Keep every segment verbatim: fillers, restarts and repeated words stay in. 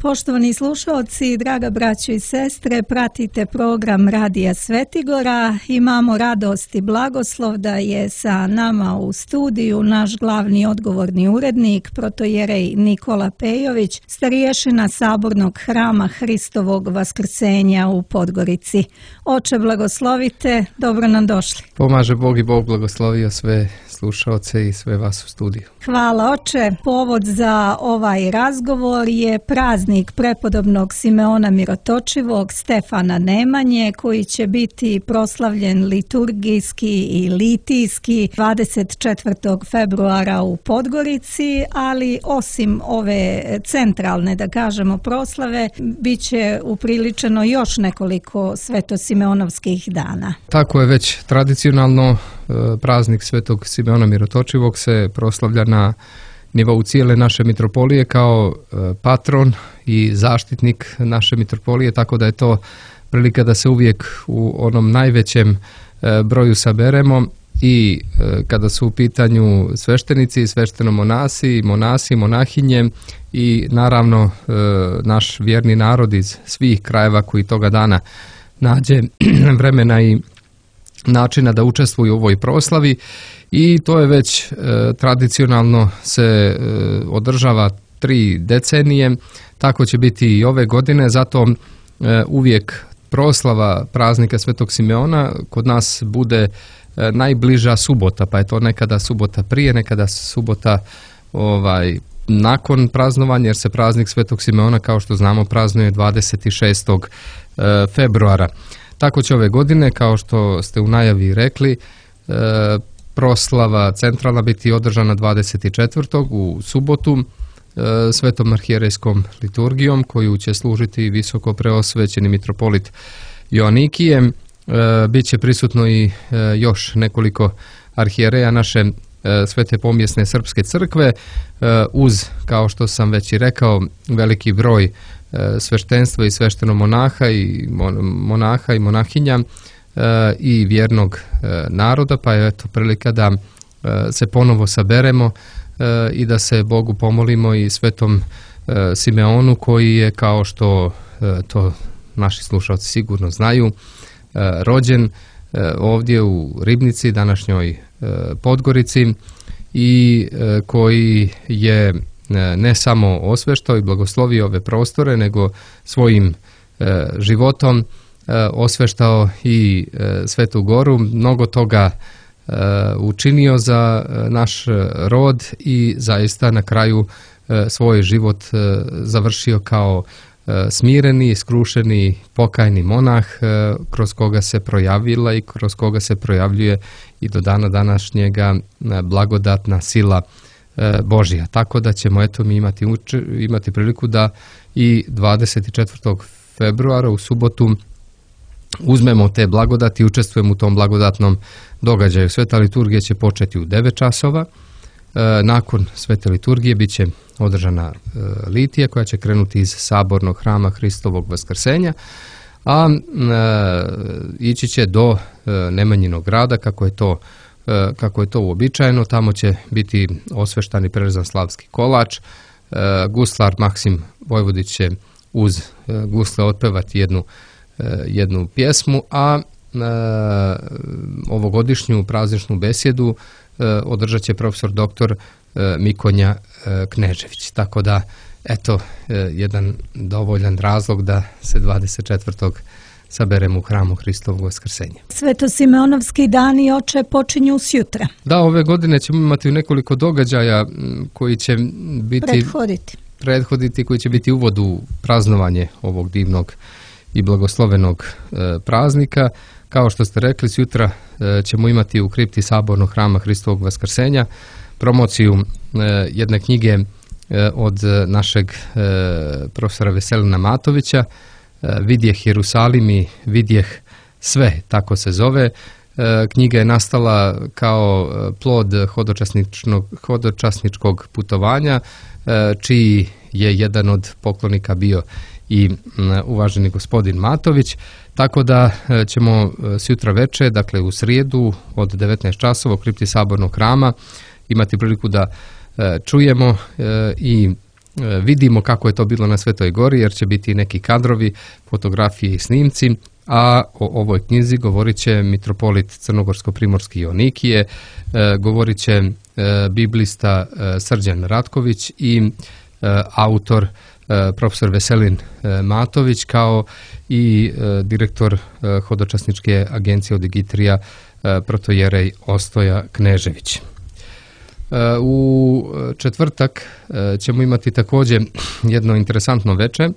Poštovani slušalci, draga braćo i sestre, pratite program Radija Svetigora. Imamo radost i blagoslov da je sa nama u studiju naš glavni odgovorni urednik, protojerej Nikola Pejović, starješina Sabornog hrama Hristovog Vaskrsenja u Podgorici. Oče, blagoslovite, dobro nam došli. Pomaže Bog i Bog blagoslovio sve slušaoce i sve vas u studiju. Hvala, oče. Povod za ovaj razgovor je praznik prepodobnog Simeona Mirotočivog, Stefana Nemanje, koji će biti proslavljen liturgijski i litijski dvadeset četvrtog februara u Podgorici, ali osim ove centralne, da kažemo, proslave, bit će upriličeno još nekoliko svetosimeonovskih dana. Tako je već tradicionalno. Praznik Svetog Simeona Mirotočivog se proslavlja na nivou cijele naše mitropolije kao patron i zaštitnik naše mitropolije, tako da je to prilika da se uvijek u onom najvećem broju saberemo i kada su u pitanju sveštenici, sveštenomonasi, monasi, monahinje i naravno naš vjerni narod iz svih krajeva koji toga dana nađe vremena i načina da učestvuju u ovoj proslavi i to je već e, tradicionalno se e, održava tri decenije, tako će biti i ove godine, zato e, uvijek proslava praznika Svetog Simeona kod nas bude e, najbliža subota, pa je to nekada subota prije, nekada subota ovaj nakon praznovanja, jer se praznik Svetog Simeona, kao što znamo, praznuje dvadeset šestog februara. Tako će ove godine, kao što ste u najavi rekli, e, proslava centralna biti održana dvadeset četvrtog u subotu e, svetom arhijerejskom liturgijom, koju će služiti visoko preosvećeni mitropolit Joanikije. E, Biće prisutno i e, još nekoliko arhijereja naše e, Svete pomjesne srpske crkve, e, uz, kao što sam već i rekao, veliki broj sveštenstva i sveštenomonaha i monaha i monahinja i vjernog naroda, pa je eto prilika da se ponovo saberemo i da se Bogu pomolimo i Svetom Simeonu, koji je, kao što to naši slušalci sigurno znaju, rođen ovdje u Ribnici, današnjoj Podgorici, i koji je ne samo osveštao i blagoslovio ove prostore, nego svojim e, životom e, osveštao i e, Svetu Goru, mnogo toga e, učinio za e, naš rod i zaista na kraju e, svoj život e, završio kao e, smireni, skrušeni, pokajni monah, e, kroz koga se projavila i kroz koga se projavljuje i do dana današnjega e, blagodatna sila Božja. Tako da ćemo eto mi imati, imati priliku da i dvadeset četvrtog februara u subotu uzmemo te blagodati i učestvujemo u tom blagodatnom događaju. Sveta liturgija će početi u devet časova. Nakon svete liturgije bit će održana litija koja će krenuti iz Sabornog hrama Hristovog Vaskrsenja, a ići će do Nemanjinog grada, kako je to kako je to uobičajeno. Tamo će biti osveštan i prerezan slavski kolač. Guslar Maksim Vojvodić će uz gusle otpevati jednu, jednu pjesmu, a ovogodišnju prazničnu besjedu održat će profesor doktor Mikonja Knežević. Tako da, eto, jedan dovoljan razlog da se dvadeset četvrtog saberemo u hramu Hristovog Vaskrsenja. Svetosimeonovski dani, oče, počinju sjutra. Da, ove godine ćemo imati nekoliko događaja koji će biti prethoditi. prethoditi, koji će biti uvod u praznovanje ovog divnog i blagoslovenog e, praznika. Kao što ste rekli, sutra e, ćemo imati u kripti Sabornog hrama Hristovog Vaskrsenja promociju e, jedne knjige e, od našeg e, profesora Veselina Matovića, Vidjeh Jerusalim i Vidjeh sve, tako se zove. Knjiga je nastala kao plod hodočasničkog putovanja, čiji je jedan od poklonika bio i uvaženi gospodin Matović, tako da ćemo sutra veče, dakle u srijedu od devetnaest časova u kripti Sabornog hrama imati priliku da čujemo i vidimo kako je to bilo na Svetoj Gori, jer će biti neki kadrovi, fotografije i snimci, a o ovoj knjizi govorit će mitropolit Crnogorsko-primorski Jonikije, govorit će biblista Srđan Ratković i autor profesor Veselin Matović, kao i direktor Hodočasničke agencije Odigitrija protojerej Ostoja Knežević. U četvrtak ćemo imati također jedno interesantno veče.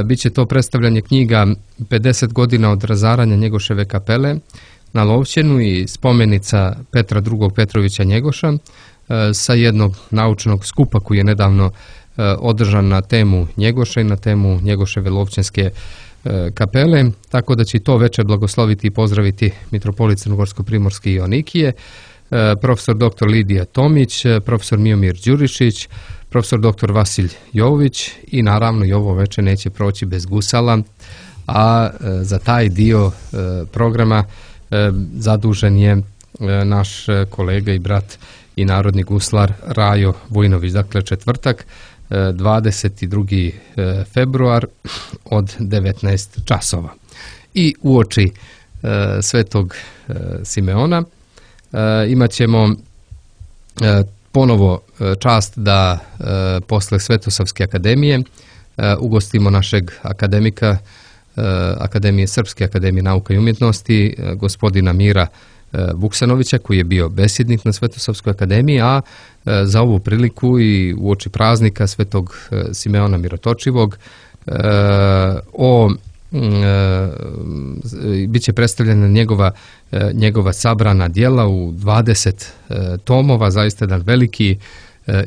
Biće to predstavljanje knjiga pedeset godina od razaranja Njegoševe kapele na Lovćenu i spomenica Petra drugog Petrovića Njegoša sa jednog naučnog skupa koji je nedavno održan na temu Njegoša i na temu Njegoševe Lovćenske kapele, tako da će to veče blagosloviti i pozdraviti mitropolit Crnogorsko-primorski Jonikije, profesor doktor Lidija Tomić, profesor Miomir Đurišić, profesor doktor Vasilj Jović i naravno i ovo veče neće proći bez gusala, a za taj dio programa zadužen je naš kolega i brat i narodni guslar Rajo Vujnović. Dakle, četvrtak, dvadeset drugi februar od devetnaest časova. I uoči Svetog Simeona imat ćemo ponovo čast da posle Svetosavske akademije ugostimo našeg akademika Akademije Srpske akademije nauka i umjetnosti, gospodina Mira Vuksanovića, koji je bio besjednik na Svetosavskoj akademiji, a za ovu priliku i uoči praznika Svetog Simeona Mirotočivog o bit će predstavljena njegova, njegova sabrana djela u dvadeset tomova, zaista jedan veliki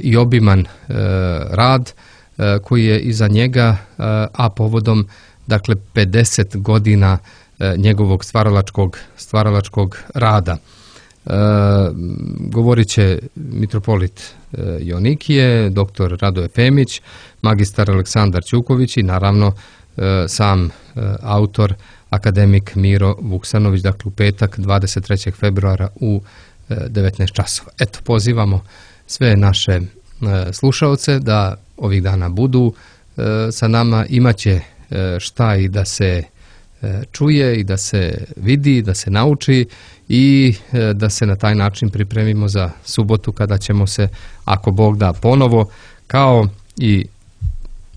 i obiman rad koji je iza njega, a povodom dakle pedeset godina njegovog stvaralačkog, stvaralačkog rada. E, govorit će mitropolit Jonikije, doktor Radoje Femić, magistar Aleksandar Ćuković i naravno e, sam e, autor akademik Miro Vuksanović, dakle u petak dvadeset trećeg februara u e, devetnaest časova. Eto, pozivamo sve naše e, slušaoce da ovih dana budu e, sa nama, imaće e, šta i da se čuje i da se vidi, da se nauči i da se na taj način pripremimo za subotu kada ćemo se, ako Bog da, ponovo kao i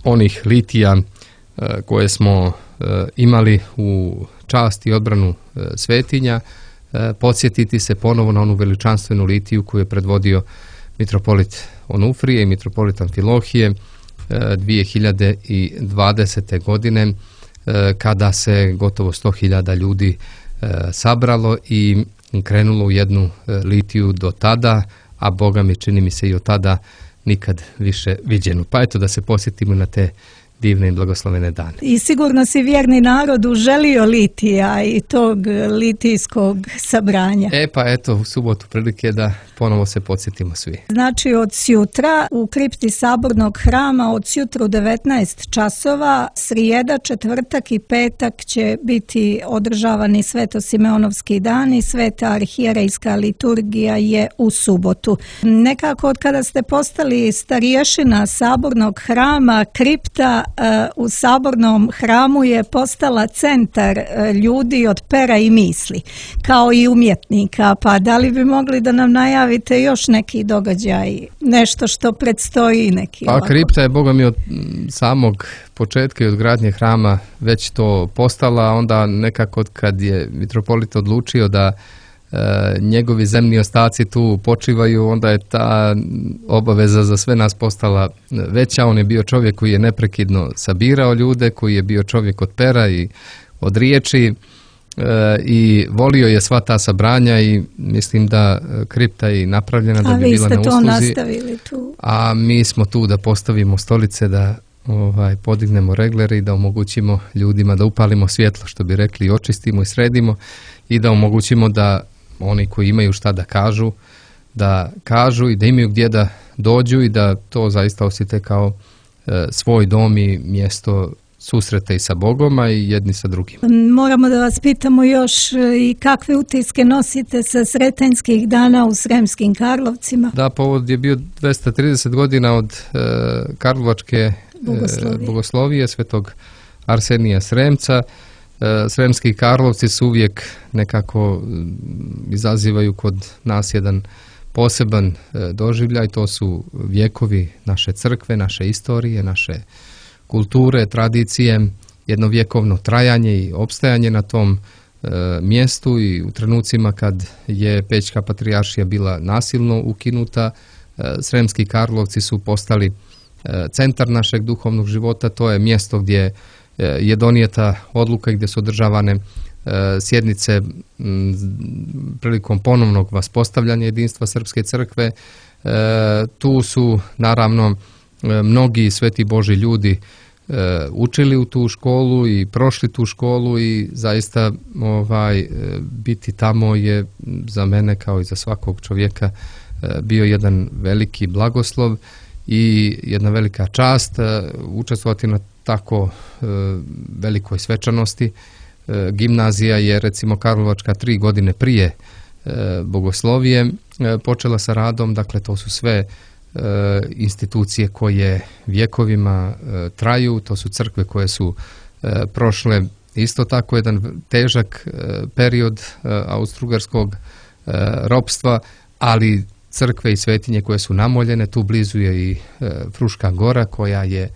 onih litija koje smo imali u čast i odbranu svetinja, podsjetiti se ponovo na onu veličanstvenu litiju koju je predvodio mitropolit Onufrije i mitropolit Amfilohije dvije hiljade dvadesete. godine, kada se gotovo sto hiljada ljudi sabralo i krenulo u jednu litiju do tada, a Boga mi čini mi se i od tada nikad više viđenu. Pa eto da se posjetimo na te divne i blagoslovene dane. I sigurno si vjerni narodu želio litija i tog litijskog sabranja. E pa eto, u subotu prilike da ponovo se podsjetimo svi. Znači od sjutra u kripti Sabornog hrama od sjutra u devetnaest časova, srijeda, četvrtak i petak će biti održavani Svetosimeonovski dan i Sveta arhijerejska liturgija je u subotu. Nekako od kada ste postali starješina Sabornog hrama, kripta u Sabornom hramu je postala centar ljudi od pera i misli, kao i umjetnika. Pa da li bi mogli da nam najavite još neki događaj, nešto što predstoji neki? Pa kripta je, Boga mi, od samog početka i od gradnje hrama već to postala, onda nekako kad je mitropolit odlučio da njegovi zemni ostaci tu počivaju, onda je ta obaveza za sve nas postala veća. On je bio čovjek koji je neprekidno sabirao ljude, koji je bio čovjek od pera i od riječi e, i volio je sva ta sabranja i mislim da kripta je napravljena da bi bila na usluzi. A vi ste to nastavili tu? A mi smo tu da postavimo stolice, da ovaj, podignemo reglere i da omogućimo ljudima da upalimo svjetlo, što bi rekli, i očistimo i sredimo i da omogućimo da oni koji imaju šta da kažu, da kažu i da imaju gdje da dođu i da to zaista osjete kao e, svoj dom i mjesto susrete i sa Bogom, a i jedni sa drugim. Moramo da vas pitamo još i kakve utiske nosite sa Sretenjskih dana u Sremskim Karlovcima? Da, povod je bio dvesta trideset godina od e, Karlovačke Bogoslovije. e, bogoslovije svetog Arsenija Sremca. E, Sremski Karlovci su uvijek nekako izazivaju kod nas jedan poseban e, doživljaj. To su vjekovi naše crkve, naše istorije, naše kulture, tradicije, jedno vjekovno trajanje i opstajanje na tom e, mjestu i u trenucima kad je Pećka patrijaršija bila nasilno ukinuta, e, Sremski Karlovci su postali e, centar našeg duhovnog života. To je mjesto gdje e, je donijeta odluka i gdje su održavane e, sjednice m, prilikom ponovnog vaspostavljanja jedinstva Srpske crkve. E, tu su naravno e, mnogi sveti Božji ljudi E, učili u tu školu i prošli tu školu i zaista ovaj, e, biti tamo je za mene kao i za svakog čovjeka e, bio jedan veliki blagoslov i jedna velika čast e, učestvovati na tako e, velikoj svečanosti. E, gimnazija je recimo Karlovačka tri godine prije e, bogoslovije e, počela sa radom, dakle to su sve institucije koje vjekovima e, traju, to su crkve koje su e, prošle isto tako jedan težak e, period e, austrougarskog e, ropstva, ali crkve i svetinje koje su namoljene, tu blizu je i e, Fruška gora koja je e,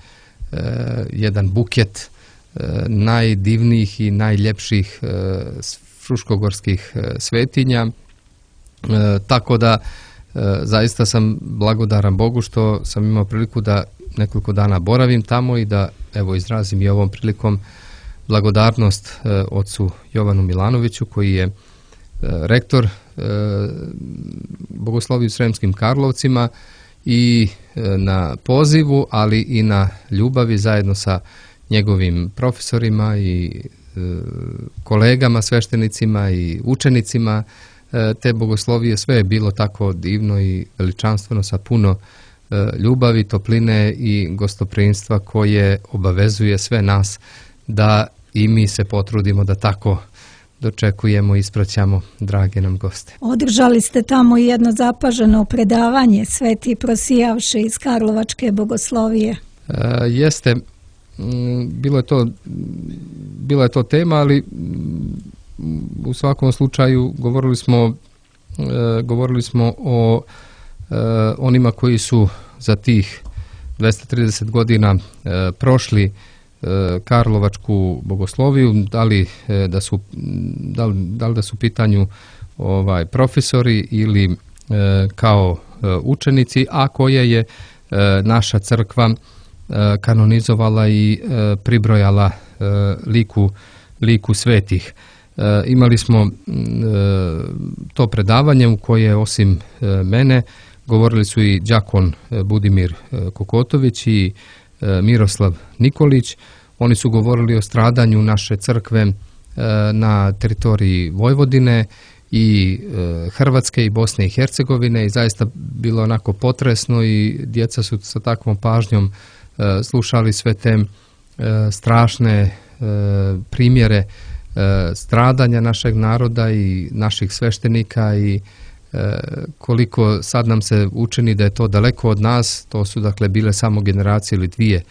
jedan buket e, najdivnijih i najljepših e, fruškogorskih e, svetinja, e, tako da zaista sam blagodaran Bogu što sam imao priliku da nekoliko dana boravim tamo i da evo izrazim i ovom prilikom blagodarnost e, ocu Jovanu Milanoviću koji je e, rektor e, bogoslovije u Sremskim Karlovcima i e, na pozivu, ali i na ljubavi zajedno sa njegovim profesorima i e, kolegama, sveštenicima i učenicima te bogoslovije. Sve je bilo tako divno i veličanstveno sa puno e, ljubavi, topline i gostoprimstva koje obavezuje sve nas da i mi se potrudimo da tako dočekujemo i ispraćamo drage nam goste. Održali ste tamo jedno zapaženo predavanje Sveti prosijavše iz Karlovačke bogoslovije. E, jeste, bilo je to bila je to tema, ali u svakom slučaju govorili smo, e, govorili smo o e, onima koji su za tih dvesta trideset godina e, prošli e, Karlovačku bogosloviju, da li, e, da su, da li, da li da su u pitanju ovaj, profesori ili e, kao e, učenici, a koje je e, naša crkva e, kanonizovala i e, pribrojala e, liku, liku svetih. E, imali smo e, to predavanje u koje osim e, mene govorili su i đakon e, Budimir e, Kokotović i e, Miroslav Nikolić. Oni su govorili o stradanju naše crkve e, na teritoriji Vojvodine i e, Hrvatske i Bosne i Hercegovine i zaista bilo onako potresno i djeca su sa takvom pažnjom e, slušali sve te e, strašne e, primjere stradanja našeg naroda i naših sveštenika i e, koliko sad nam se učini da je to daleko od nas. To su dakle bile samo generacije ili dvije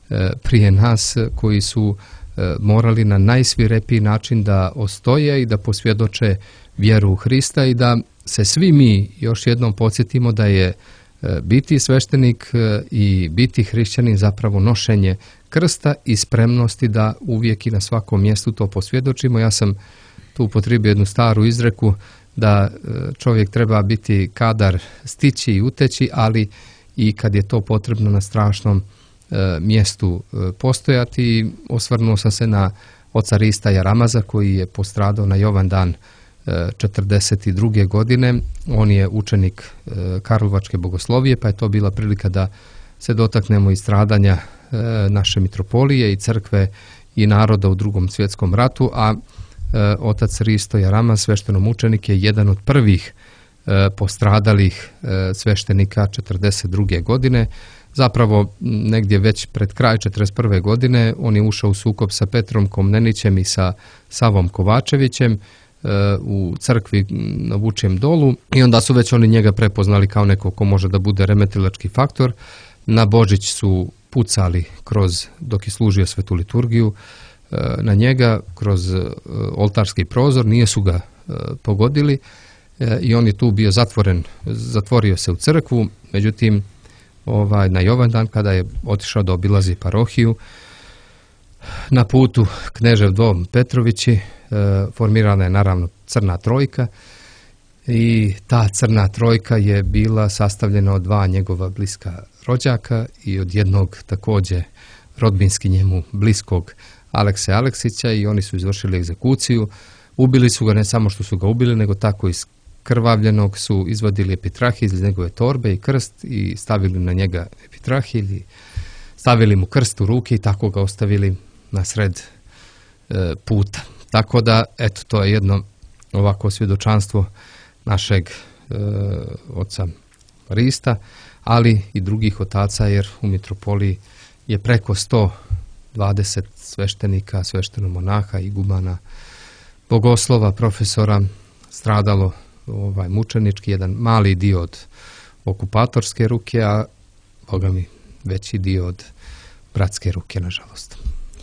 e, prije nas koji su e, morali na najsvirepiji način da ostoje i da posvjedoče vjeru u Hrista i da se svi mi još jednom podsjetimo da je e, biti sveštenik e, i biti hrišćanin zapravo nošenje krsta i spremnosti da uvijek i na svakom mjestu to posvjedočimo. Ja sam tu upotrijebio jednu staru izreku da čovjek treba biti kadar stići i uteći, ali i kad je to potrebno na strašnom e, mjestu e, postojati. I osvrnuo sam se na oca Rista Jaramaza koji je postradao na Jovan dan e, četrdeset druge godine. On je učenik e, Karlovačke bogoslovije, pa je to bila prilika da se dotaknemo i stradanja naše mitropolije i crkve i naroda u Drugom svjetskom ratu, a e, otac Risto Jaramaz, sveštenomučenik, je jedan od prvih e, postradalih e, sveštenika četrdeset druge godine. Zapravo negdje već pred kraj četrdeset prve godine on je ušao u sukob sa Petrom Komnenićem i sa Savom Kovačevićem u crkvi na Vučijem dolu i onda su već oni njega prepoznali kao neko ko može da bude remetilački faktor. Na Božić su pucali kroz, dok je služio svetu liturgiju, na njega kroz oltarski prozor, nije su ga pogodili i on je tu bio zatvoren, zatvorio se u crkvu, međutim ovaj, na Jovandan kada je otišao da obilazi parohiju, na putu Knežev dom Petrovići formirana je naravno crna trojka i ta crna trojka je bila sastavljena od dva njegova bliska rođaka i od jednog također rodbinski njemu bliskog Alekse Aleksića i oni su izvršili egzekuciju. Ubili su ga, ne samo što su ga ubili, nego tako iz krvavljenog su izvadili epitrahilj iz njegove torbe i krst i stavili na njega epitrahilj i stavili mu krst u ruke i tako ga ostavili na sred e, puta. Tako da, eto, to je jedno ovako svjedočanstvo našeg e, oca Rista, ali i drugih otaca, jer u mitropoliji je preko sto dvadeset sveštenika, sveštenomonaha, igumana, bogoslova, profesora stradalo ovaj, mučenički, jedan mali dio od okupatorske ruke, a Boga mi veći dio od bratske ruke, nažalost.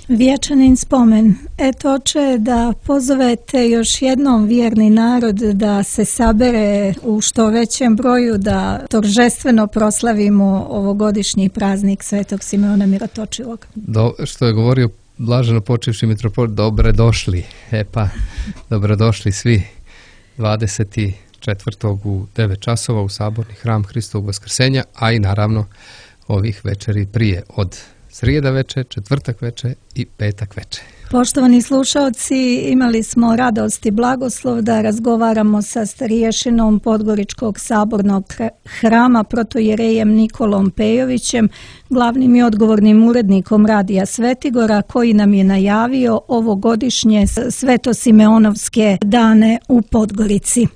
Vječanin spomen. Eto, oče, da pozovete još jednom vjerni narod da se sabere u što većem broju, da торжествено proslavimo ovogodišnji praznik Svetog Simeona Mirotočivog. Do, što je govorio blaženo počivši mitropolit, dobre došli. E pa, dobrodošli svi dvadeset četvrtog u devet časova u Saborni hram Hristovog Vaskrsenja, a i naravno ovih večeri prije od srijeda veče, četvrtak veče i petak veče. Poštovani slušalci, imali smo radost i blagoslov da razgovaramo sa stariješinom Podgoričkog sabornog hrama protojerejem Nikolom Pejovićem, glavnim i odgovornim urednikom Radija Svetigora, koji nam je najavio ovogodišnje Svetosimeonovske dane u Podgorici.